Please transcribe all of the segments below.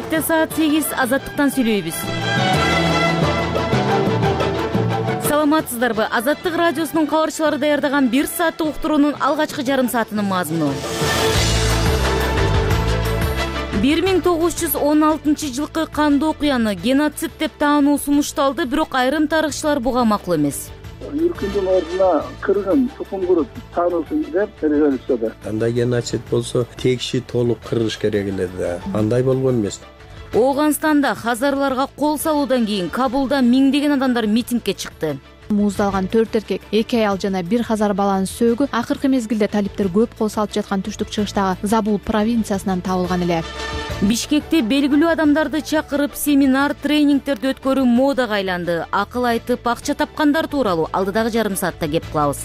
Кечте саат 8 Азаттыктан сүйлөйбүз. Саламатсыздарбы? Азаттык радиосунун кабарчылары даярдаган 1 сааттык уктуруунун алгачкы жарым саатынын мазмуну. 1916 жылкы кандуу окуяны геноцид деп таануу сунушталды, бирок айрым тарыхчылар буга макул эмес. Юркүндүн ордуна кыргын тукум куруп таануулсун деп резолюцияда. Андай геноцид болсо текши толук кыргыш керек эле да. Андай болгон эмес. Ооганстанда хазарларга кол салуудан кийин Кабулда миңдеген адамдар митингге чыкты. Муздалган 4 эркек, 2 аял жана 1 хазар баланын сөөгү акыркы мезгилде талиптер көп кол салып жаткан түштүк чыгыштагы Забул провинциясынан табылган эле. Бишкекте белгилүү адамдарды чакырып семинар, тренингтерди өткөрүү модага айланды. Акыл айтып, акча тапкандар тууралуу алдыдагы жарым саатта кеп кылабыз.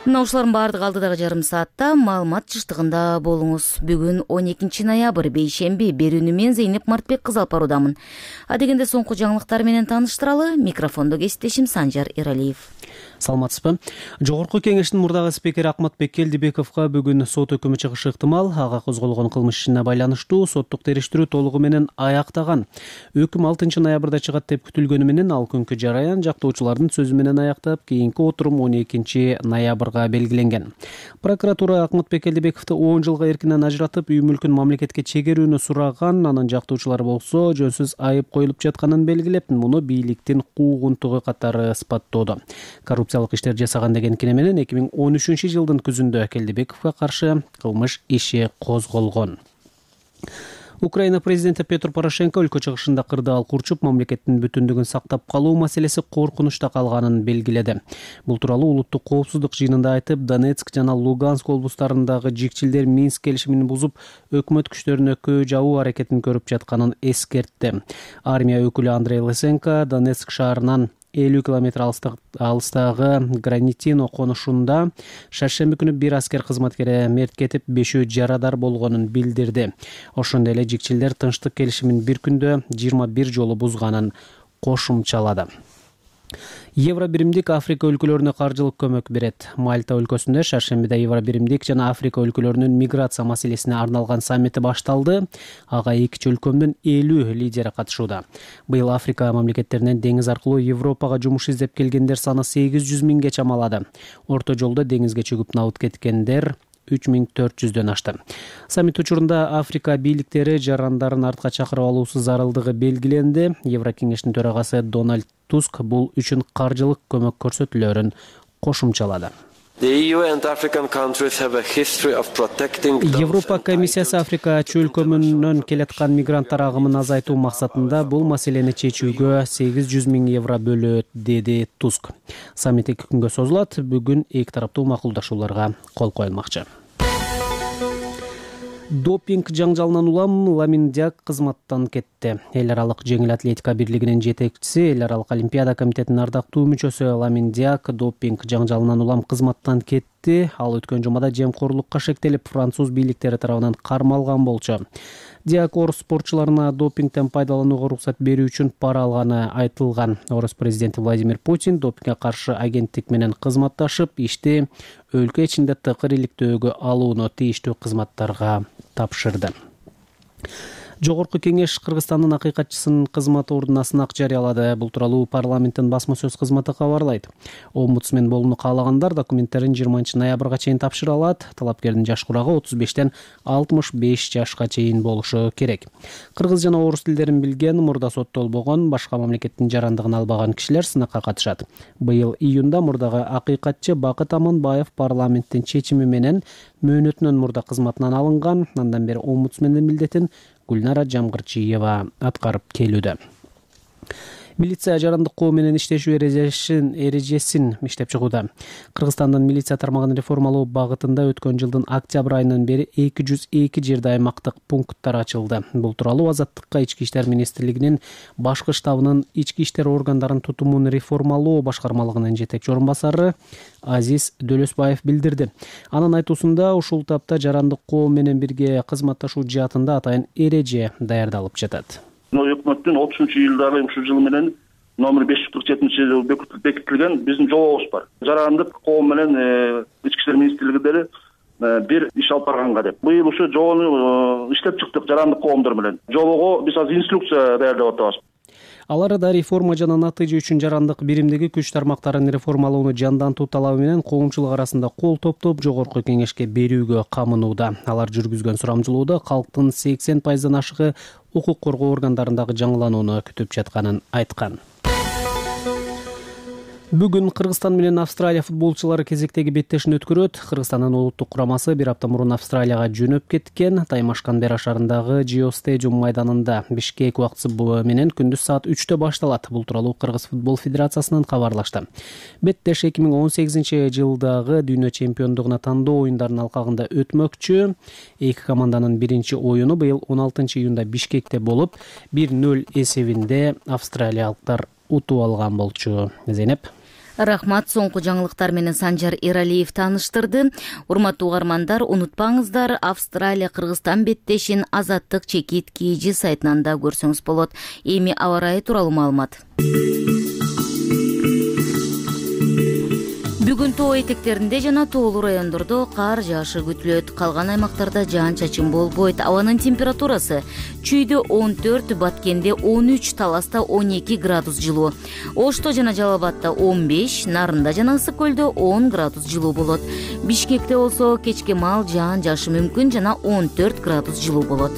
Мына ушулардын баардыгы алдыдагы жарым саатта маалымат жыштыгында болуңуз. Бүгүн 12 ноябрь бейшемби. Берүүнү мен Зейнеп Мартбек кыз алып баруудамын. Адегенде соңку жаңылыктар менен тааныштыралы. Микрофондо кесиптешим Санжар Эралиев. Саламатсызбы? Жогорку кеңештин мурдагы спикери Акматбек Келдибековго бүгүн сот өкүмү чыгышы ыктымал. Ага козголгон кылмыш ишине байланыштуу соттук териштирүү толугу менен аяктаган. Өкүм 6 ноябрда чыгат деп күтүлгөнү менен ал күнкү жараян жактоочулардын сөзү менен аяктап, кийинки отурум 12 ноябрга белгиленген. Прокуратура Акматбек Келдибековду 10 жылга эркинен ажыратып, үй мүлкүн мамлекетке чегерүүнү сураган. Анын жактоочулары болсо жөнсүз айып коюлуп жатканын белгилеп, муну бийликтин куугунтугу катары ысбаттоодо. Коррупциялык иштер жасаган деген кине менен 2013 жылдын күзүндө Келдибековго каршы кылмыш иши козголгон. Украина президенти Петр Порошенко өлкө чыгышында кырдаал курчуп, мамлекеттин бүтүндүгүн сактап калуу маселеси коркунучта калганын белгиледи. Бул тууралуу улуттук коопсуздук жыйынында айтып, Донецк жана Луганск облустарындагы жикчилдер Минск келишимин бузуп, өкмөт күчтөрүнө көө жабуу аракетин көрүп жатканын эскертти. Армия өкүлү Андрей Лысенко Донецк шаарынан 50 километр алыстагы Гранитино конушунда шаршемби күнү бир аскер кызматкери мерт кетип, 5 жарадар болгонун билдирди. Ошондой эле жикчилдер тынчтык келишимин бир күндө 21 жолу бузганын кошумчалады. Евро биримдик Африка өлкөлөрүнө каржылык көмөк берет. Мальта өлкөсүндө шаршембиде Евро биримдик жана Африка өлкөлөрүнүн миграция маселесине арналган саммити башталды. Ага 2 өлкөмдүн 50 лидери катышууда. Быйыл Африка мамлекеттеринен деңиз аркылуу Европага жумуш издеп келгендер саны 800 миңге чамалады. Орто жолдо деңизге чөгүп набыт кеткендер 3400дөн ашты. Саммит учурунда Африка бийликтери жарандарын артка чакырып алуусу зарылдыгы белгиленди. Еврокеңештин төрагасы Дональд Туск бул үчүн каржылык көмөк көрсөтүүлөрүн кошумчалады. Европа комиссиясы Африка чөлкөмүнөн келаткан мигранттар агымын азайтуу максатында бул маселени чечүүгө 800 миң евро бөлөт, деди Туск. Саммит 2 күнгө созулат. Бүгүн эки тараптуу макулдашууларга кол коюлмакчы. Допинг жаңжалынан улам Ламин Диак кызматтан кетти. Эл аралык жеңил атлетика бирлигинин жетекчиси, Эл аралык олимпиада комитетинин ардактуу мүчөсү Ламин Диак допинг жаңжалынан улам кызматтан кетти. Ал өткөн жумада жемкорлукка шектелип, француз бийликтери тарабынан кармалган болчу. Диак орус спортчуларына допингден пайдаланууга уруксат берүү үчүн пара алганы айтылган. Орус президенти Владимир Путин допингге каршы агенттик менен кызматташып, ишти өлкө ичинде тыкыр иликтөөгө алууну тийиштүү кызматтарга тапшырды. Жогорку кеңеш Кыргызстандын акыйкатчысынын кызмат ордуна сынак жарыялады. Бул тууралуу парламенттин басма сөз кызматы кабарлайт. Омбудсмен болууну каалагандар документтерин 20 ноябрга чейин тапшыра алат. Талапкердин жаш курагы 35тен 65 жашка чейин болушу керек. Кыргыз жана орус тилдерин билген, мурда соттолбогон, башка мамлекеттин жарандыгын албаган кишилер сынакка катышат. Быйыл июнда мурдагы акыйкатчы Бакыт Аманбаев парламенттин чечими менен мөөнөтүнөн мурда кызматынан алынган. Андан бери омбудсмендин милдетин Гүлнара Жамгырчиева аткарып келүүдө. Милиция жарандык коо менен иштешүү эрежесин иштеп чыгууда. Кыргызстандын милиция тармагын реформалоо багытында өткөн жылдын октябрь айынан бери 202 жерде аймактык пункттар ачылды. Бул тууралуу Азаттыкка Ички иштер министрлигинин башкы штабынын ички иштер органдарын тутумун реформалоо башкармалыгынын жетекчи орун басары Азиз Дөлөсбаев билдирди. Анын айтуусунда ушул тапта жарандык коо менен бирге кызматташуу жаатында атайын эреже даярдалып жатат. Өкмөттүн 30-жылдагы ушул жыл менен номер 547 бекитилген биздин жобобуз бар. Жарандык коом менен ички иштер министрлиги бир иш алып барганга деп. Быйыл ушу жобону иштеп чыктык жарандык коомдор менен. Жобого биз азыр инструкция даярдап атабыз. Ал арада реформа жана натыйжа үчүн жарандык биримдеги күч тармактарын реформалоону жандантуу талабы менен коомчулук арасында кол топтоп жогорку кеңешке берүүгө камынууда. Алар жүргүзгөн сурамжылоодо калктын 80% ашыгы укук коргоо органдарындагы жаңыланууну күтүп жатканын айткан. Бүгүн Кыргызстан менен Австралия футболчулары кезектеги беттешин өткөрөт. Кыргызстандын улуттук курамасы бир апта мурун Австралияга жөнөп кеткен. Таймаш-Канберра шаарындагы Geo Stadium майданында Бишкек убактысы менен күндүз саат 3-тө башталат. Бул тууралуу Кыргыз футбол федерациясынан кабарлашты. Беттеш 2018-жылдагы дүйнө чемпиондугуна тандоо оюндарынын алкагында өтмөкчү. Эки команданын биринчи оюну быйыл 16-июнда Бишкекте болуп, 1-0 эсебинде австралиялыктар утуп алган болчу. Зейнеп. Рахмат, соңку жаңылыктар менен Санжар Эралиев тааныштырды. Урматтуу угармандар, унутпаңыздар, Австралия Кыргызстан беттешин Азаттык чекит KG сайтынан да көрсөңүз болот. Эми аба ырайы тууралуу маалымат. Бүгүн тоо этектеринде жана тоолуу райондордо кар жаашы күтүлөт. Калган аймактарда жаан-чачын болбойт. Абанын температурасы Чүйдө 14, Баткенде 13, Таласта 12 градус жылуу. Ошто жана Жалал Абадда 15, Нарында жана Ысык көлдө 10 градус жылуу болот. Бишкекте болсо кечке маал жаан жаашы мүмкүн жана 14 градус жылуу болот.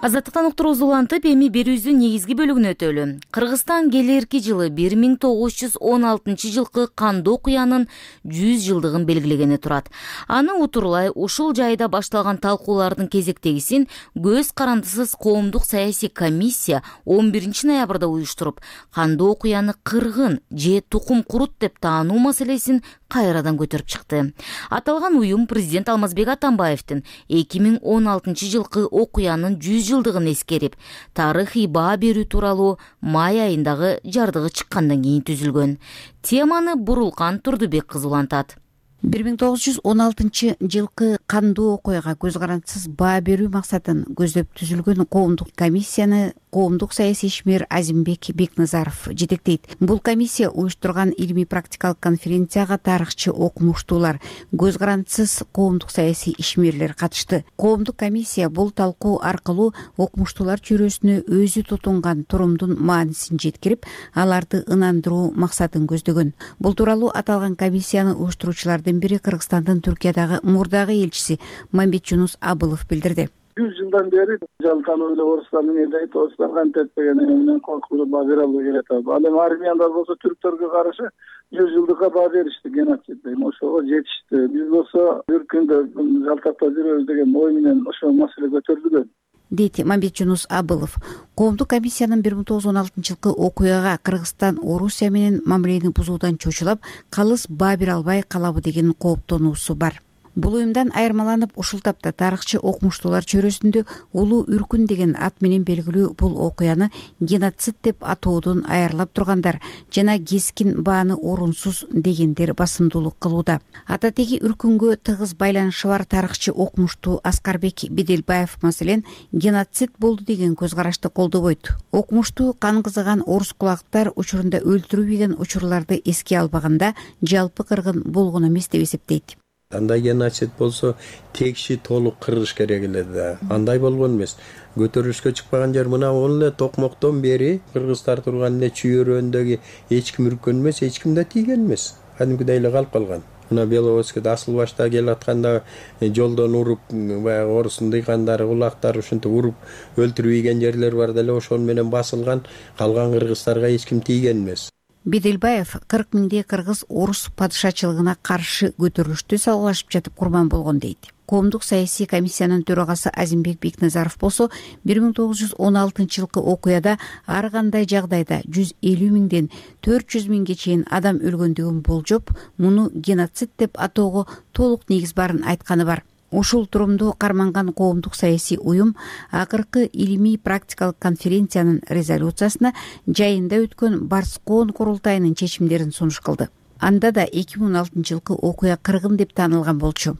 Азаттыктан уктуруубузду улантып, эми берүүбүздүн негизги бөлүгүнө өтөлү. Кыргызстан келерки жылы 1916 жылкы кандуу окуянын 100 жылдыгын белгилегени турат. Аны утурлай ушул жайда башталган талкуулардын кезектегисин көз карандысыз коомдук саясий комиссия 11 ноябрда уюштуруп, кандуу окуяны кыргын же тукум курут деп таануу маселесин кайрадан көтөрүп чыкты. Аталган уюм президент Алмазбек Атамбаевдин 2016 жылкы окуянын 100 жылдыгын эскерип, тарыхый баа берүү тууралуу май айындагы жардыгы чыккандан кийин түзүлгөн. Теманы Бурулкан Турдубек кызы улантат. 1916 жылкы кандуу окуяга көз карандысыз баа берүү максатын көздөп түзүлгөн коомдук комиссияны коомдук саясий ишмер Азимбек Бекназаров жетектейт. Бул комиссия уюштурган илимий практикалык конференцияга тарыхчы окумуштуулар, көз карандысыз коомдук саясий ишмерлер катышты. Коомдук комиссия бул талкуу аркылуу окумуштуулар чөйрөсүнө өзү тутунган турумдун маанисин жеткирип, аларды ынандыруу максатын көздөгөн. Бул тууралуу аталган комиссияны уюштуруучулар бири Кыргызстандын Түркиядагы мурдагы элчиси Мамбетжунус Абылов билдирди. 100 жылдан бери жалкануу эле орустар менен дейт, орустар кантетпеген менен коркуп баа бере албай келет. Ал эми армияндар болсо түрктөргө каршы 100 жылдыкка баа беришти, геноцид дейм, ошого жетишти. Биз болсо бир күндө жалтактап жүрөбүз деген ой менен ошол маселе көтөрүлгөн, дейт Мамбетжунус Абылов. Коомдук комиссиянын 1916 жылкы окуяга Кыргызстан Орусия менен мамилени бузуудан чочулап, калыс баа бере албай калабы деген кооптонуусу бар. Бул уюмдан айырмаланып, ушул тапта тарыхчы окумуштуулар чөйрөсүндө улуу үркүн деген ат менен белгилүү бул окуяны геноцид деп атоодон айырылап тургандар жана кескин бааны орунсуз дегендер басымдуулук кылууда. Ататеги үркүнгө тыгыз байланышы бар тарыхчы окумуштуу Аскарбек Беделбаев маселен геноцид болду деген көз карашты колдобойт. Окумуштуу кан кызыган орус кулактар учурунда өлтүрүү деген учурларды эске албаганда жалпы кыргын болгон эмес деп эсептейт. Андай геноцид болсо текши толук кырыш керек эле да. Андай болгон эмес. Көтөрүлүшкө чыкпаган жер мына ол эле токмоктон бери кыргыздар турган эле чүйөрөөндөгү эч ким үрккөн эмес, эч ким да тийген эмес. Кадимкидей эле калып калган. Мына Беловодскийде асыл башта келатканда жолдон уруп, баягы орустун дыйкандары, улактары ушинтип уруп өлтүрүп ийген жерлер бар деле, ошол менен басылган. Калган кыргыздарга эч ким тийген эмес. Беделбаев 40 миңдей кыргыз орус падышачылыгына каршы көтөрүлүштү салгылашып жатып курбан болгон дейт. Коомдук саясий комиссиянын төрагасы Азимбек Бекназаров болсо 1916 жылкы окуяда ар кандай жагдайда 150 миңден 400 миңге чейин адам өлгөндүгүн болжоп, муну геноцид деп атоого толук негиз барын айтканы бар. Ушул турумду карманган коомдук саясий уюм акыркы илимий практикалык конференциянын резолюциясына жайында өткөн Барскоон курултайынын чечимдерин сунуш кылды. Анда да 2016 жылкы окуя кыргын деп таанылган болчу.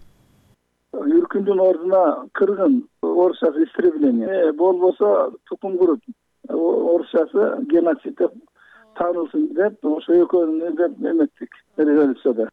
Үркүндүн ордуна кыргын, орусчасы истребление, болбосо тукум курут, орусчасы геноцид деп таанылсын деп ошо экөөнү деп эметтик резолюцияда,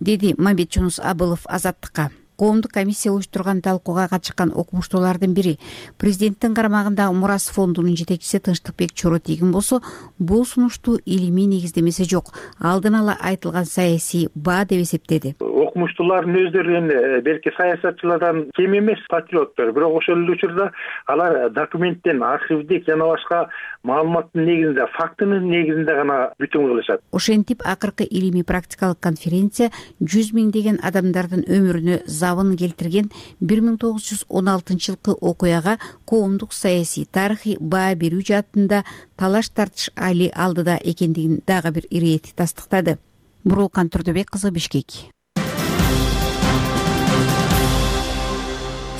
деди Мамбетжунус Абылов Азаттыкка. Коомдук комиссия уюштурган талкууга катышкан окумуштуулардын бири президенттин карамагындагы Мурас фондунун жетекчиси Тынчтыкбек Чоротийгин болсо бул сунушту илимий негиздемеси жок, алдын ала айтылган саясий баа деп эсептеди. Окумуштуулардын өздөрү эми белки саясатчылардан кем эмес патриоттор, бирок ошол эле учурда алар документтен, архивдик жана башка маалыматтын негизинде, фактынын негизинде гана бүтүм кылышат. Ошентип акыркы илимий практикалык конференция 100 миңдеген адамдардын өмүрүнө забын келтирген 1916-жылкы окуяга коомдук саясий тарыхый баа берүү жаатында талаш тартыш али алдыда экендигин дагы бир ирээти тастыктады. Буруулкан Турдубек кызы, Бишкек.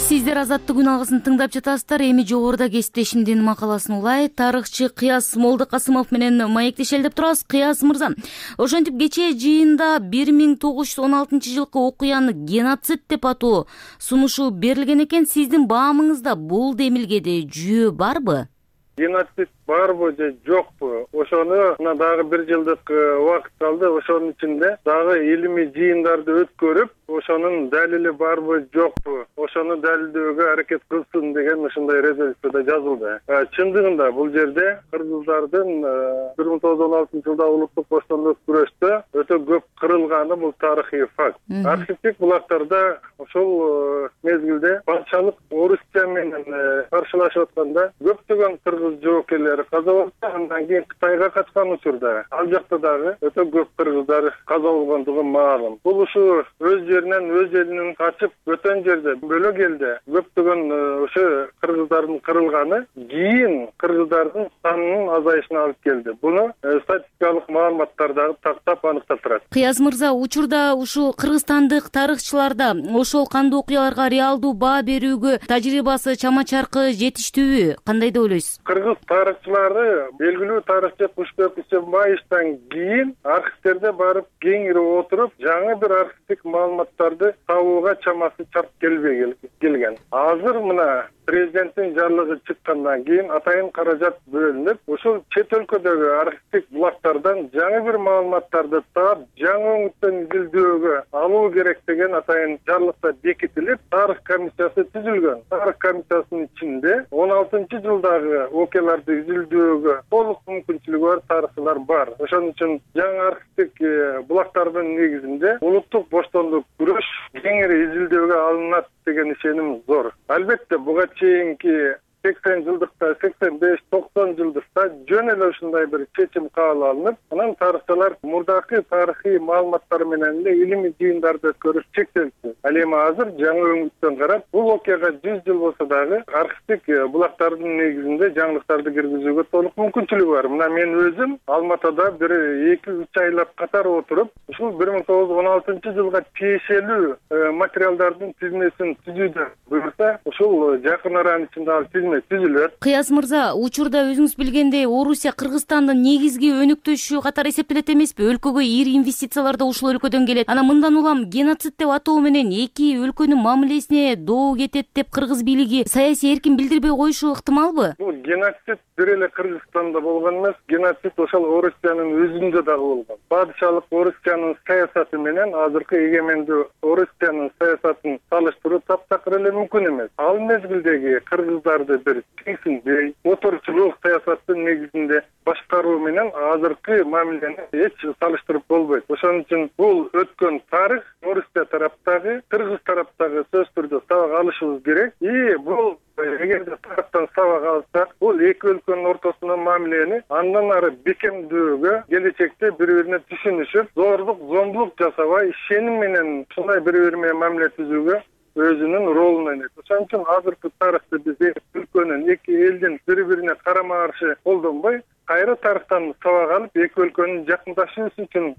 Сиздер Азаттык күн алгысын тыңдап жатасыздар. Эми жогоруда кесиптешимдин макаласын улай тарыхчы Кыяз Молдокасымов менен маектешели деп турабыз. Кыяз мырза, ошентип кечээ жыйында 1916-жылкы окуяны геноцид деп атоо сунушу берилген экен. Сиздин баамыңызда бул демилгеде жүйө барбы? Геноцид барбы же жокпу? Ошону мына дагы 1 жылдык убакыт калды. Ошонун ичинде дагы илимий жыйындарды өткөрүп, ошонун далили барбы жокпу, ошону далилдөөгө аракет кылсын деген ушундай резолюцияда жазылды. Чындыгында бул жерде кыргыздардын 1916-жылда улуттук боштондук күрөштө өтө көп кырылганы бул тарыхый факт. Архивдик булактарда ошол мезгилде патшалык Орусия менен каршылашып атканда көптөгөн кыргыз жоокерлери каза болду. Андан кийин Кытайга качкан учурда ал жакта дагы өтө көп кыргыздар каза болгондугу маалым. Бул ушу өз жеринен, өз элинен качып өтөн жерде, бөлөк элде көптөгөн ошо кыргыздардын кырылганы кийин кыргыздардын санынын азайышына алып келди. Буну статистикалык маалыматтар дагы тактап аныктап турат. Кыяз мырза, учурда ушул кыргызстандык тарыхчыларда ошол кандуу окуяларга реалдуу баа берүүгө тажрыйбасы чама-чаркы жетиштүүбү? Кандай деп ойлойсуз? Кыргыз тарыхчылары белгилүү тарыхчы Кушбек Исенбаевден кийин архивтерде барып кеңири отуруп, жаңы бир архивдик маалыматтарды табууга чамасы чарп келбей келген. Азыр мына президенттин жарлыгы чыккандан кийин атайын каражат бөлүнүп, ушул чет өлкөдөгү архивдик булактардан жаңы бир маалыматтарды таап, жаңы өңүттөн изилдөөгө алуу керек деген атайын жарлыкта бекитилип, тарых комиссиясы түзүлгөн. Тарых комиссиясынын ичинде 16-жылдагы окуяларды изилдөөгө толук мүмкүнчүлүгү бар тарыхчылар бар. Ошон үчүн жаңы архивдик булактардын негизинде улуттук боштондук күрөш кеңири изилдөөгө алынат деген ишеним зор. Албетте буга чейинки 80 жылдыкта, 85-90 жылдыкта жөн эле ушундай бир чечим кабыл алынып, анан тарыхчылар мурдакы тарыхый маалыматтар менен эле илимий жыйындарды өткөрүп чектелди. Ал эми азыр жаңы өңүттөн карап, бул окуяга 100 жыл болсо дагы архивдик булактардын негизинде жаңылыктарды киргизүүгө толук мүмкүнчүлүгү бар. Мына мен өзүм Алматыда бир 2-3 айлап катар отуруп, ушул 1916-жылга тиешелүү материалдардын тизмесин түзүүдө буюрса, ушул жакын аранын ичинде ал тизме түзүлөт. Кыяз мырза, учурда өзүңүз билгендей Орусия Кыргызстандын негизги өнөктөшү катары эсептелет эмеспи? Өлкөгө ири инвестициялар да ушул өлкөдөн келет. Анан мындан улам геноцид деп атоо менен эки өлкөнүн мамилесине доо кетет деп кыргыз бийлиги саясий эркин билдирбей коюшу ыктымалбы? Бул геноцид бир эле Кыргызстанда болгон эмес, геноцид ошол Орусиянын өзүндө дагы болгон. Падышалык Орусиянын саясаты менен азыркы эгемендүү Орусиянын саясатын салыштыруу таптакыр эле мүмкүн эмес. Ал мезгилдеги кыргыздарды бир теңсинбей, отурчулук саясаттын негизинде башкаруу менен азыркы мамилени эч салыштырып болбойт. Ошон үчүн бул өткөн тарых Орусия тараптагы, Кыргыз тараптагы сөзсүз түрдө сабак алышыбыз керек. Бул эгерде тараптан сабак алсак, бул эки өлкөнүн ортосундагы мамилени андан ары бекемдөөгө, келечекте бири-бирине түшүнүшүп, зордук, зомбулук жасабай, ишеним менен ушундай бири-бири менен мамиле түзүүгө өзүнүн ролун ойнойт. Ошон үчүн азыркы тарыхты биз эки өлкөнүн, эки элдин бири-бирине карама каршы колдонбой, кайра тарыхтан сабак алып, эки өлкөнүн жакындашуусу үчүн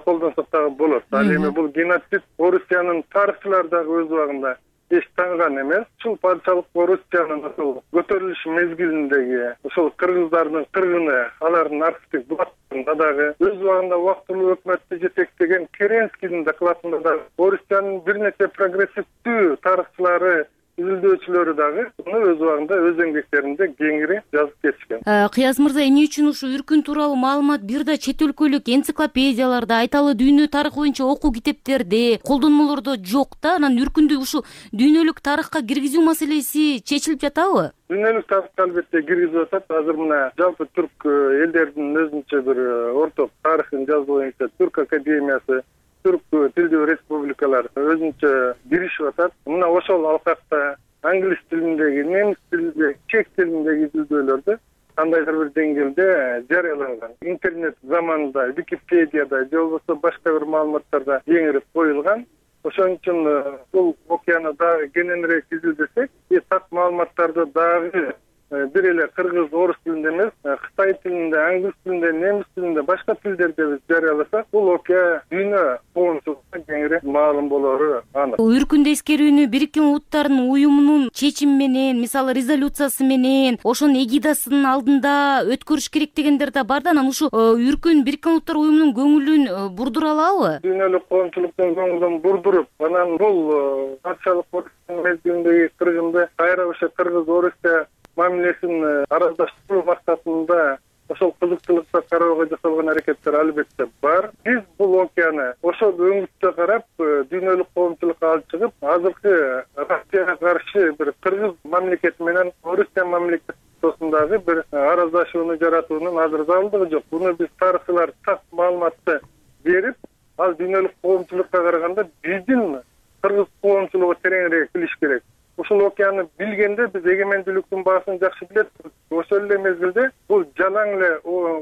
колдонсок дагы болот. Ал эми бул геноцид Орусиянын тарыхчылары дагы өз убагында эч танган эмес. Ушул падышалык Орусиянын ушул көтөрүлүш мезгилиндеги ушул кыргыздардын кыргыны, алардын архивдик булактарында дагы өз убагында убактылуу өкмөттү жетектеген Керенскийдин докладында дагы Орусиянын бир нече прогрессивдүү тарыхчылары изилдөөчүлөрү дагы муну өз убагында өз эмгектеринде кеңири жазып кетишкен. Кыяз мырза, эмне үчүн ушу үркүн тууралуу маалымат бир да чет өлкөлүк энциклопедияларда, айталы дүйнө тарыхы боюнча окуу китептерде, колдонмолордо жок да? Анан үркүндү ушу дүйнөлүк тарыхка киргизүү маселеси чечилип жатабы? Дүйнөлүк тарыхка албетте киргизип атат. Азыр мына жалпы түрк элдердин өзүнчө бир орток тарыхын жазуу боюнча Түрк академиясы, түрк тилдүү республикалар өзүнчө киришип атат. Мына ошол алкакта англис тилиндеги, немис тилиндеги, чек тилиндеги изилдөөлөрдү кандайдыр бир деңгээлде жарыяланган. Интернет заманында Википедияда же болбосо башка бир маалыматтарда кеңирип коюлган. Ошон үчүн бул окуяны дагы кененирээк изилдесек, так маалыматтарды дагы бир эле кыргыз, орус тилинде эмес, кытай тилинде, англис тилинде, немис тилинде, башка тилдерде биз жарыяласак, бул окуя дүйнө коомчулукка кеңири маалым болору анык. Үркүндө эскерүүнү Бириккен Улуттардын уюмунун чечими менен, мисалы резолюциясы менен, ошонун эгидасынын алдында өткөрүш керек дегендер да бар да, анан ушу үркүн Бириккен Улуттар уюмунун көңүлүн бурдура алабы? Дүйнөлүк коомчулуктун көңүлүн бурдуруп, анан бул патшалык мезгилиндеги кыргынды кайра ошо кыргыз, орусча мамилесин араздаштыруу максатында ошол кызыктуулукка кароого жасалган аракеттер албетте бар. Биз бул окуяны ошол өңүттө карап, дүйнөлүк коомчулукка алып чыгып, азыркы Россияга каршы бир кыргыз мамлекети менен Орусия мамлекети ортосундагы бир араздашууну жаратуунун азыр зарылдыгы жок. Буну биз тарыхчылар так маалыматты берип, ал дүйнөлүк коомчулукка караганда биздин кыргыз коомчулугу тереңирээк билиш керек. Ушул окуяны билгенде биз эгемендүүлүктүн баасын жакшы билет. Ошол эле мезгилде бул жалаң эле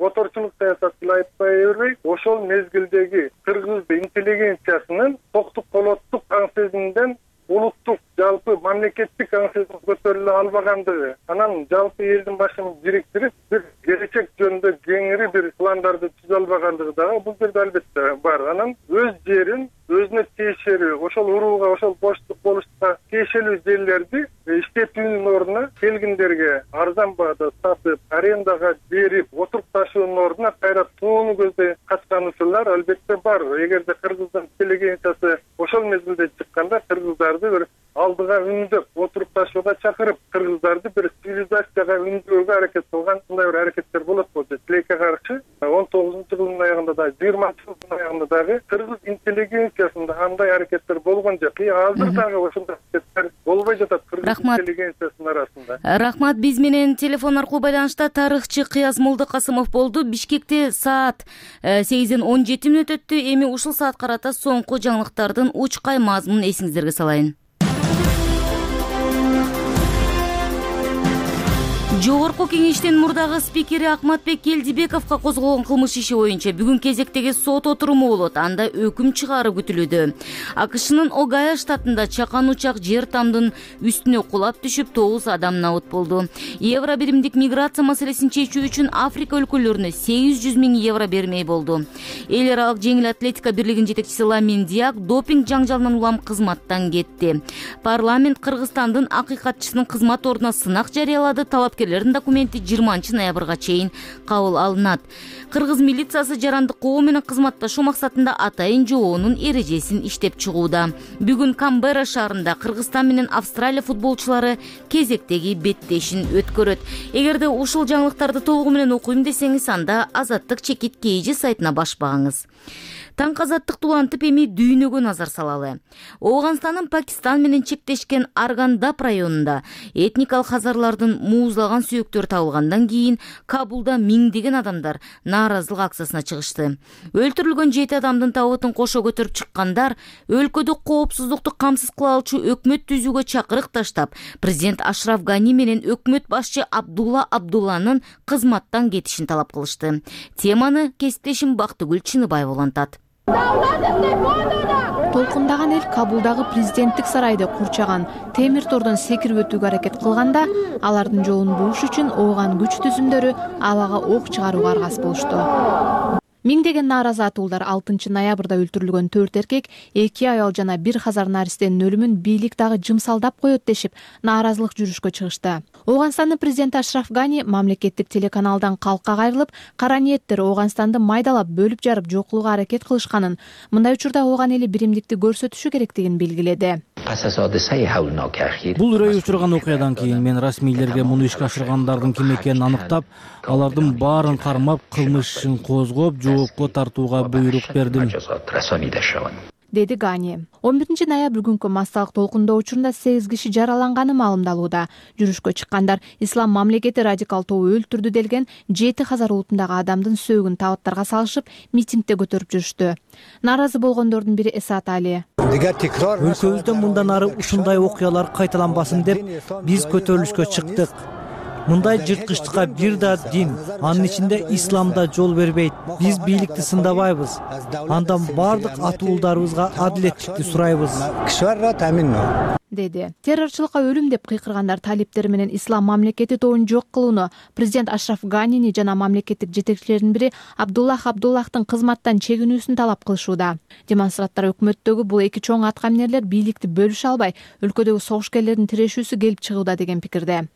оторчулук саясатты айтпай бербей, ошол мезгилдеги кыргыз интеллигенциясынын токтук колоттук аң сезиминден улуттук жалпы мамлекеттик аң сезим көтөрүлө албагандыгы, анан жалпы элдин башын бириктирип бир келечек жөнүндө кеңири бир пландарды түзө албагандыгы дагы бул жерде албетте бар. Анан өз жерин өзүнө тиешелүү, ошол урууга, ошол боштук болуштукка тиешелүү жерлерди иштетүүнүн ордуна келгиндерге арзан баада сатып, арендага берип, отурукташуунун ордуна кайра тууну көздөй качкан учурлар албетте бар. Эгерде кыргыздын интеллигенциясы ошол мезгилде чыкканда кыргыздарды бир алдыга үндөп, отурукташууга чакырып, кыргыздарды бир цивилизацияга үндөөгө аракет кылган мындай бир аракеттер болот болчу. Тилекке каршы 19-жылдын аягында да, 20-жылдын аягында дагы кыргыз интеллигенциясында андай аракеттер болгон жок. Азыр дагы ошондой аракеттер болбой жатат кыргыз интеллигенциясынын арасында. Рахмат. Биз менен телефон аркылуу байланышта тарыхчы Кыяз Молдокасымов болду. Бишкекте саат 8:17 өттү. Эми ушул саат карата соңку жаңылыктардын учкай мазмунун эсиңиздерге салайын. Жогорку кеңештин мурдагы спикери Акматбек Келдибековго козголгон кылмыш иши боюнча бүгүн кезектеги сот отуруму болот. Анда өкүм чыгаруу күтүлүүдө. АКШнын Огайо штатында чакан учак жер тамдын үстүнө кулап түшүп 9 адам набыт болду. Евро биримдик миграция маселесин чечүү үчүн Африка өлкөлөрүнө 800 000 евро бермей болду. Эл аралык жеңил атлетика бирлигинин жетекчиси Ламин Диак допинг жаңжалынан улам кызматтан кетти. Парламент Кыргызстандын акыйкатчысынын кызмат ордуна сынак жарыялады. Талапкерлердин документи 20 ноябрга чейин кабыл алынат. Кыргыз милициясы жарандык коо менен кызматташуу максатында атайын жоонун эрежесин иштеп чыгууда. Бүгүн Камбера шаарында Кыргызстан менен Австралия футболчулары кезектеги беттешин өткөрөт. Эгерде ушул жаңылыктарды толугу менен окуйм десеңиз, анда Азаттык чекит KG сайтына баш багыңыз. Таңкы азаттыкты улантып эми дүйнөгө назар салалы. Ооганстандын Пакистан менен чектешкен Аргандап районунда этникалык хазарлардын муузлаган сүйөктөрү табылгандан кийин Кабулда миңдеген адамдар нааразылык акциясына чыгышты. Өлтүрүлгөн 7 адамдын табытын кошо көтөрүп чыккандар өлкөдө коопсуздукту камсыз кыла алчу өкмөт түзүүгө чакырык таштап, президент Ашраф Гани менен өкмөт башчы Абдулла Абдулланын кызматтан кетишин талап кылышты. Теманы кесиптешим Бактыгүл Чыныбаева улантат. Толкундаган эл Кабулдагы президенттик сарайды курчаган темир тордон секирип өтүүгө аракет кылганда, алардын жолун бууш үчүн ооган күч түзүмдөрү абага ок чыгарууга аргасыз болушту. Миңдеген нааразы атуулдар 6 ноябрда өлтүрүлгөн 4 эркек, 2 аял жана 1 хазар наристенин өлүмүн бийлик дагы жымсалдап коет дешип, нааразылык жүрүшкө чыгышты. Ооганстандын президенти Ашраф Гани мамлекеттик телеканалдан калкка кайрылып, кара ниеттер Ооганстанды майдалап, бөлүп жарып жок кылууга аракет кылышканын, мындай учурда ооган эли биримдикти көрсөтүшү керектигин белгиледи. Бул үрөй учурган окуядан кийин мен расмийлерге муну ишке ашыргандардын ким экенин аныктап, алардын баарын кармап, кылмыш ишин козгоп, жоопко тартууга буйрук бердим, деди Гани. 11 ноябрь күнкү массалык толкундоо учурунда 8 киши жараланганы маалымдалууда. Жүрүшкө чыккандар Ислам мамлекети радикал тобу өлтүрдү делген 7 Хазар улутундагы адамдын сөөгүн табыттарга салышып, митингде көтөрүп жүрүштү. Нааразы болгондордун бири Эсат Али. Өлкөбүздө мындан ары ушундай окуялар кайталанбасын деп биз көтөрүлүшкө чыктык. Мындай жырткычтыкка бир да дин, анын ичинде ислам да жол бербейт. Биз бийликти сындабайбыз. Андан бардык атуулдарыбызга адилеттикти сурайбыз, деди. Террорчулукка өлүм деп кыйкыргандар талиптери менен Ислам мамлекети тобун жок кылууну президент Ашраф Ганини жана мамлекеттик жетекчилердин бири Абдуллах Абдуллахтын кызматтан чегинүүсүн талап кылышууда. Демонстранттар өкмөттөгү бул эки чоң аткаминерлер бийликти бөлүшө албай, өлкөдөгү согушкерлердин тирешүүсү келип чыгууда деген пикирде.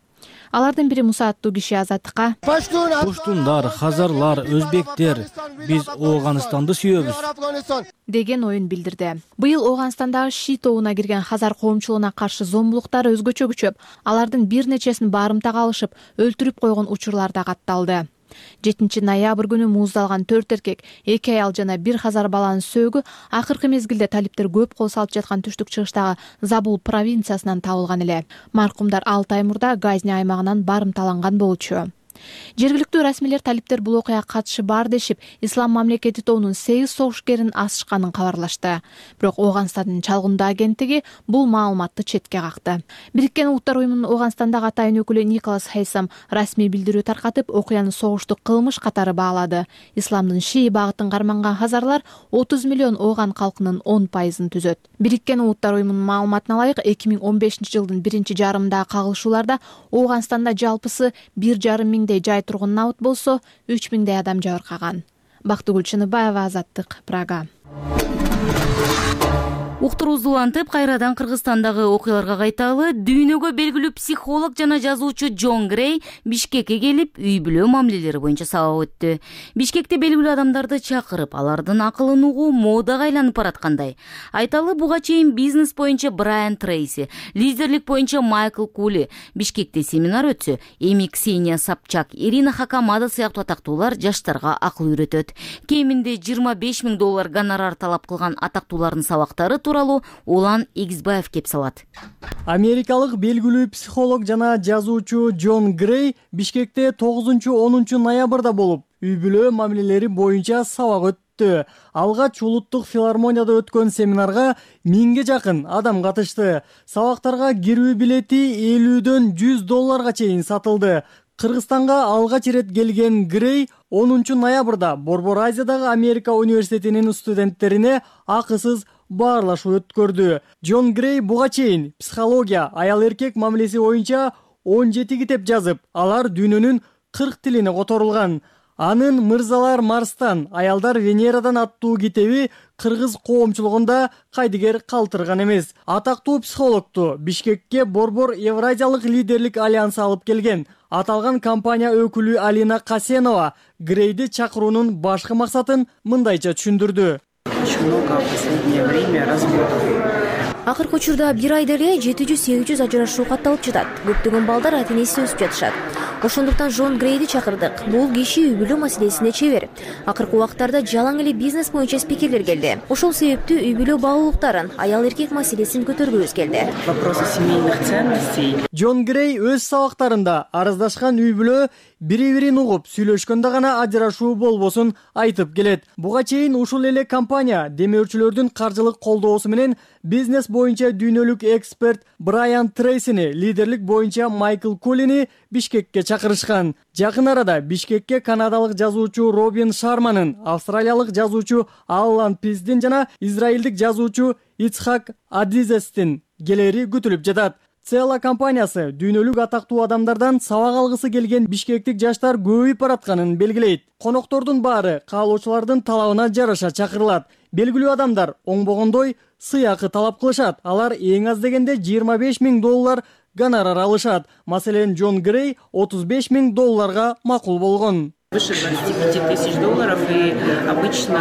Алардын бири Муса аттуу киши Азаттыкка: Пуштундар, хазарлар, өзбектер, биз Ооганстанды сүйөбүз, деген оюн билдирди. Быйыл Ооганстандагы Ши тобуна кирген хазар коомчулугуна каршы зомбулуктар өзгөчө күчөп, алардын бир нечесин барымтага алышып, өлтүрүп койгон учурлар да катталды. 7 ноябрь күнү мууздалган 4 эркек, 2 аял жана 1 хазар баланын сөөгү акыркы мезгилде талиптер көп кол салып жаткан түштүк чыгыштагы Забул провинциясынан табылган эле. Маркумдар 6 ай мурда Газни аймагынан барымталанган болчу. Жергиликтүү расмийлер талиптер бул окуяга катышы бар дешип, Ислам мамлекети тобунун 8 согушкерин асышканын кабарлашты. Бирок Ооганстандын чалгындоо агенттиги бул маалыматты четке какты. Бириккен Улуттар уюмунун Ооганстандагы атайын өкүлү Николас Хейсам расмий билдирүү таркатып, окуяны согуштук кылмыш катары баалады. Исламдын Шии багытын карманган хазарлар 30 миллион Ооган калкынын 10% түзөт. Бириккен Улуттар уюмунун маалыматына ылайык, 2015 жылдын биринчи жарымындагы кагылышууларда Ооганстанда жалпысы 1,5 миңдей жай тургун набыт болсо, 3 миңдей адам жабыркаган. Бактыгүл Чыныбаева, Азаттык, Прага. Уктурубузду улантып, кайрадан Кыргызстандагы окуяларга кайталы. Дүйнөгө белгилүү психолог жана жазуучу Джон Грей Бишкекке келип, үй бүлө мамилелери боюнча сабак өттү. Бишкекте белгилүү адамдарды чакырып, алардын акылын угуу модага айланып бараткандай. Айталы, буга чейин бизнес боюнча Брайан Трейси, лидерлик боюнча Майкл Кули Бишкекте семинар өтсө, эми Ксения Собчак, Ирина Хакамада сыяктуу атактуулар жаштарга акыл үйрөтөт. Кеминде $25,000 гонорар талап кылган атактуулардын сабактары тууралуу Улан Игизбаев кеп салат. Америкалык белгилүү психолог жана жазуучу Джон Грей Бишкекте 9-10 ноябрда болуп, үй бүлө мамилелери боюнча сабак өттү. Алгач улуттук филармонияда өткөн семинарга 1000ге жакын адам катышты. Сабактарга кирүү билети $50дөн $100 чейин сатылды. Кыргызстанга алгач ирет келген Грей 10 ноябрда Борбор Азиядагы Америка университетинин студенттерине акысыз баарлашуу өткөрдү. Джон Грей буга чейин психология, аял-эркек мамилеси боюнча 17 китеп жазып, алар дүйнөнүн 40 тилине которулган. Анын «Мырзалар Марстан, аялдар Венерадан» аттуу китеби кыргыз коомчулугунда кайдыгер калтырган эмес. Атактуу психологту Бишкекке Борбор Евразиялык лидерлик альянсы алып келген. Аталган компания өкүлү Алина Касенова Грейди чакыруунун башкы максатын мындайча түшүндүрдү. Акыркы учурда бир айда эле 700-800 ажырашуу катталып жатат. Көптөгөн балдар ата-энеси өсүп жатышат. Ошондуктан Джон Грейди чакырдык. Бул киши үй бүлө маселесине чебер. Акыркы убактарда жалаң эле бизнес боюнча спикерлер келди. Ошол себептүү үй бүлө баалуулуктарын, аял-эркек маселесин көтөргүбүз келди. Джон Грей өз сабактарында арыздашкан үй бүлө бири-бирин угуп, сүйлөшкөндө гана ажырашуу болбосун айтып келет. Буга чейин ушул эле компания демөөрчүлөрдүн каржылык колдоосу менен бизнес боюнча дүйнөлүк эксперт Брайан Трейсини, лидерлик боюнча Майкл Кулини Бишкекке чакырышкан. Жакын арада Бишкекке канадалык жазуучу Робин Шарманын, австралиялык жазуучу Аллан Пиздин жана израилдик жазуучу Ицхак Адизестин келери күтүлүп жатат. Цела компаниясы дүйнөлүк атактуу адамдардан сабак алгысы келген бишкектик жаштар көбөйүп баратканын белгилейт. Коноктордун баары каалоочулардын талабына жараша чакырылат. Белгилүү адамдар оңбогондой сыйакы талап кылышат. Алар эң аз дегенде $25,000 гонорар алышат. Маселен, Джон Грей $35,000 макул болгон. Выше 25 тысяч долларов и обычно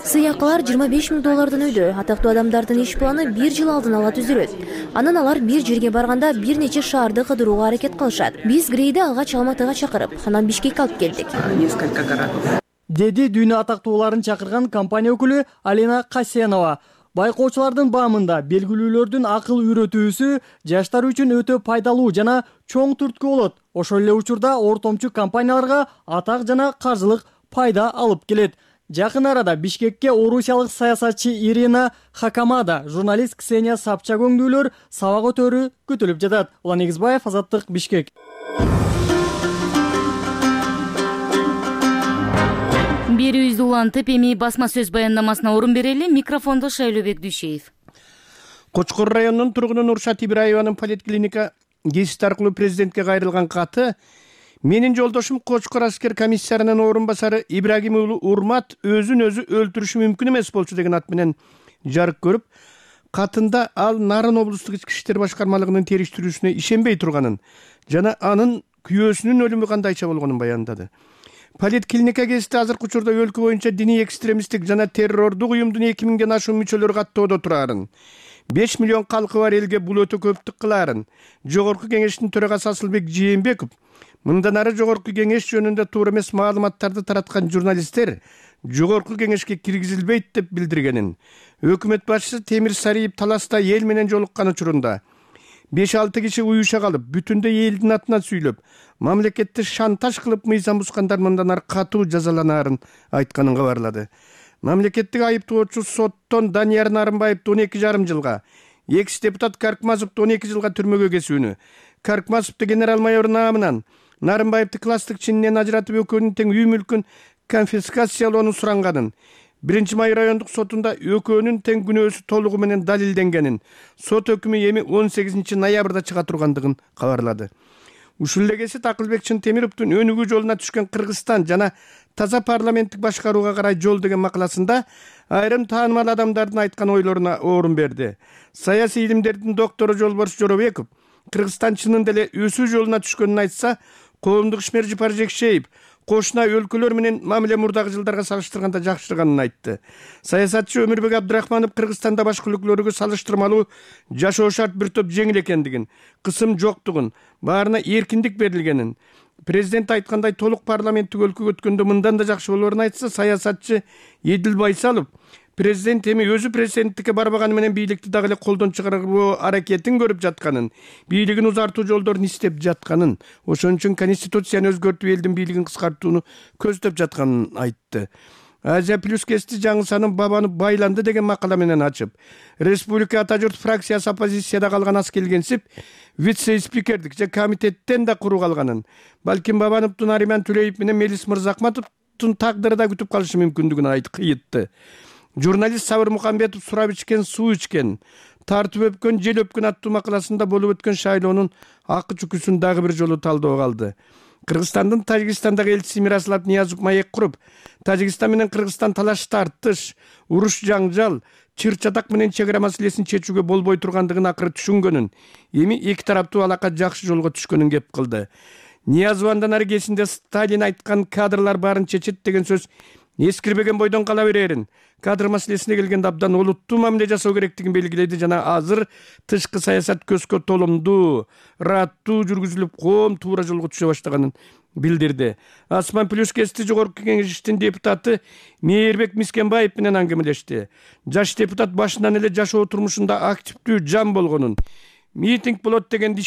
сыйакылар 25 000 доллардан өйдө. Атактуу адамдардын иш планы 1 жыл алдын ала түзүлөт. Анан алар бир жерге барганда бир нече шаарды кыдырууга аракет кылышат. Биз Грейди алгач Алматыга чакырып, анан Бишкекке алып келдик. Несколько городов. Деди дүйнө атактууларын чакырган компания өкүлү Алина Касенова. Байкоочулардын баамында белгилүүлөрдүн акыл үйрөтүүсү жаштар үчүн өтө пайдалуу жана чоң түрткү болот. Ошол эле учурда ортомчу компанияларга атак жана каржылык пайда алып келет. Жакын арада Бишкекке орусиялык саясатчы Ирина Хакамада, журналист Ксения Собчак өңдүүлөр сабак өтөрү күтүлүп жатат. Улан Эгизбаев, Азаттык, Бишкек. Берүүбүздү улантып, эми басма сөз баяндамасына орун берели. Микрофондо Шайлообек Дүйшеев. Кочкор районунун тургуну Нуршат Ибраеванын поликлиника гезити аркылуу президентке кайрылган каты менин жолдошум Кочкор аскер комиссарынын орун басары Ибрагим уулу Урмат өзүн өзү өлтүрүшү мүмкүн эмес болчу деген ат менен жарык көрүп, катында ал Нарын облустук ички иштер башкармалыгынын териштирүүсүнө ишенбей турганын жана анын күйөөсүнүн өлүмү кандайча болгонун баяндады. Поликлиника гезити азыркы учурда өлкө боюнча диний экстремисттик жана террордук уюмдун 2000ден ашуун мүчөлөрү каттоодо турарын, 5 миллион калкы бар элге бул өтө көптүк кылаарын Жогорку кеңештин төрагасы Асылбек Жээнбеков мындан ары Жогорку кеңеш жөнүндө туура эмес маалыматтарды тараткан журналисттер Жогорку кеңешке киргизилбейт деп билдиргенин, өкмөт башчысы Темир Сариев Таласта эл менен жолуккан учурунда 5-6 киши уюша калып, бүтүндөй элдин атынан сүйлөп, мамлекетти шантаж кылып мыйзам бускандар мындан ары катуу жазаланаарын айтканын кабарлады. Мамлекеттик айыптоочу соттон Данияр Нарымбаевди 12,5 жылга, экс-депутат Каркмазовду 12 жылга түрмөгө кесүүнү, Каркмазовду генерал-майор наамынан, Нарымбаевди класстык чининен ажыратып экөөнүн тең үй мүлкүн конфискациялоону суранганын, 1-Май райондук сотунда экөөнүн тең күнөөсү толугу менен далилденгенин, сот өкүмү эми 18 ноябрда чыга тургандыгын кабарлады. Ушул эле кесип Акылбек Чынтемировдун өнүгүү жолуна түшкөн Кыргызстан жана таза парламенттик башкарууга карай жол деген макаласында айрым таанымал адамдардын айткан ойлоруна орун берди. Саясий илимдердин доктору Жолборс Жоробеков Кыргызстан чынында эле өсүү жолуна түшкөнүн айтса, коомдук ишмер Жыпар Жекшеев кошуна өлкөлөр менен мамиле мурдагы жылдарга салыштырганда жакшырганын айтты. Саясатчы Өмүрбек Абдрахманов Кыргызстанда башка өлкөлөргө салыштырмалуу жашоо шарт бир топ жеңил экендигин, кысым жоктугун, баарына эркиндик берилгенин, президент айткандай толук парламенттик өлкөгө өткөндө мындан да жакшы болоорун айтса, саясатчы Эдил Байсалов президент эми өзү президенттикке барбаганы менен бийликти дагы эле колдон чыгаруу аракетин көрүп жатканын, бийлигин узартуу жолдорун издеп жатканын, ошон үчүн конституцияны өзгөртүп элдин бийлигин кыскартууну көздөп жатканын айтты. Азия плюс гезити жаңы санын бабаны байланды деген макала менен ачып, республика ата журт фракциясы оппозицияда калган аз келгенсип, вице-спикердик же комитеттен да куру калганын, балким Бабановдун Ариман Түлеев менен Мелис Мырзахматовдун тагдыры да күтүп калышы мүмкүндүгүн кыйытты. Журналист Сабыр Мухамбетов сурап ичкен, суу ичкен, тартып өпкөн, жел өпкөн аттуу макаласында болуп өткөн шайлоонун акы чүкүсүн дагы бир жолу талдоого алды. Кыргызстандын Тажикстандагы элчиси Мираслав Ниязов маек куруп, Тажикстан менен Кыргызстан талаш тартыш, уруш жаңжал, чыр-чатак менен чек ара маселесин чечүүгө болбой тургандыгын акыры түшүнгөнүн, эми эки тараптуу алака жакшы жолго түшкөнүн кеп кылды. Ниязов андан ары кесинде Сталин айткан кадрлар баарын чечет деген сөз эскирбеген бойдон кала берерин, кадр маселесине келгенде абдан олуттуу мамиле жасоо керектигин белгиледи жана азыр тышкы саясат көзгө толомдуу, ыраттуу жүргүзүлүп, коом туура жолго түшө баштаганын билдирди. Асман плюс гезити Жогорку кеңештин депутаты Мээрбек Мискенбаев менен аңгемелешти. Жаш депутат башынан эле жашоо турмушунда активдүү жан болгонун, митинг болот дегенде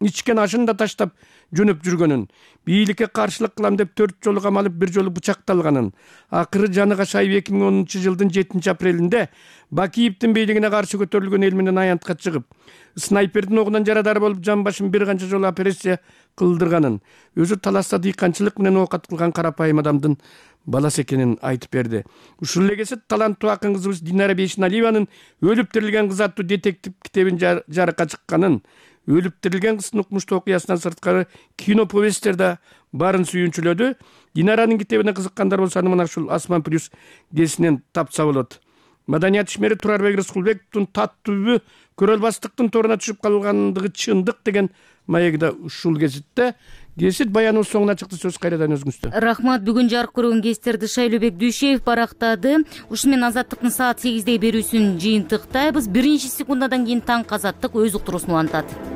ичкен ашын да таштап жөнөп жүргөнүн, бийликке каршылык кылам деп 4 жолу камалып, 1 жолу бычакталганын, акыры жаны кашайып 2010-жылдын 7-апрелинде Бакиевдин бийлигине каршы көтөрүлгөн эл менен аянтка чыгып, снайпердин огунан жарадар болуп, жан башын бир канча жолу операция кылдырганын, өзү Таласта дыйканчылык менен оокат кылган карапайым адамдын баласы экенин айтып берди. Ушул эле кесип таланттуу акын кызыбыз Динара Бейшеналиеванын Өлүп тирилген кыз аттуу детектив китебин жарыкка чыкканын, Өлүп тирилген кыздын укмуштуу окуясынан сырткары кино повесттер да барын сүйүнчүлөдү. Динаранын китебине кызыккандар болсо аны мына ушул Асман плюс гезитинен тапса болот. Маданият ишмери Турарбек Рыскулбековдун таттуу көрөлбастыктын торуна түшүп калгандыгы чындык деген маеги да ушул гезитте кесит баяныбыз соңуна чыкты. Сөз кайрадан өзүңүздө. Рахмат. Бүгүн жарык көргөн кестерди Шайлообек Дүйшеев барактады. Ушу менен Азаттыктын саат 8 берүүсүн жыйынтыктайбыз. Биринчи секундадан кийин Таң Азаттык өз уктуруусун улантат.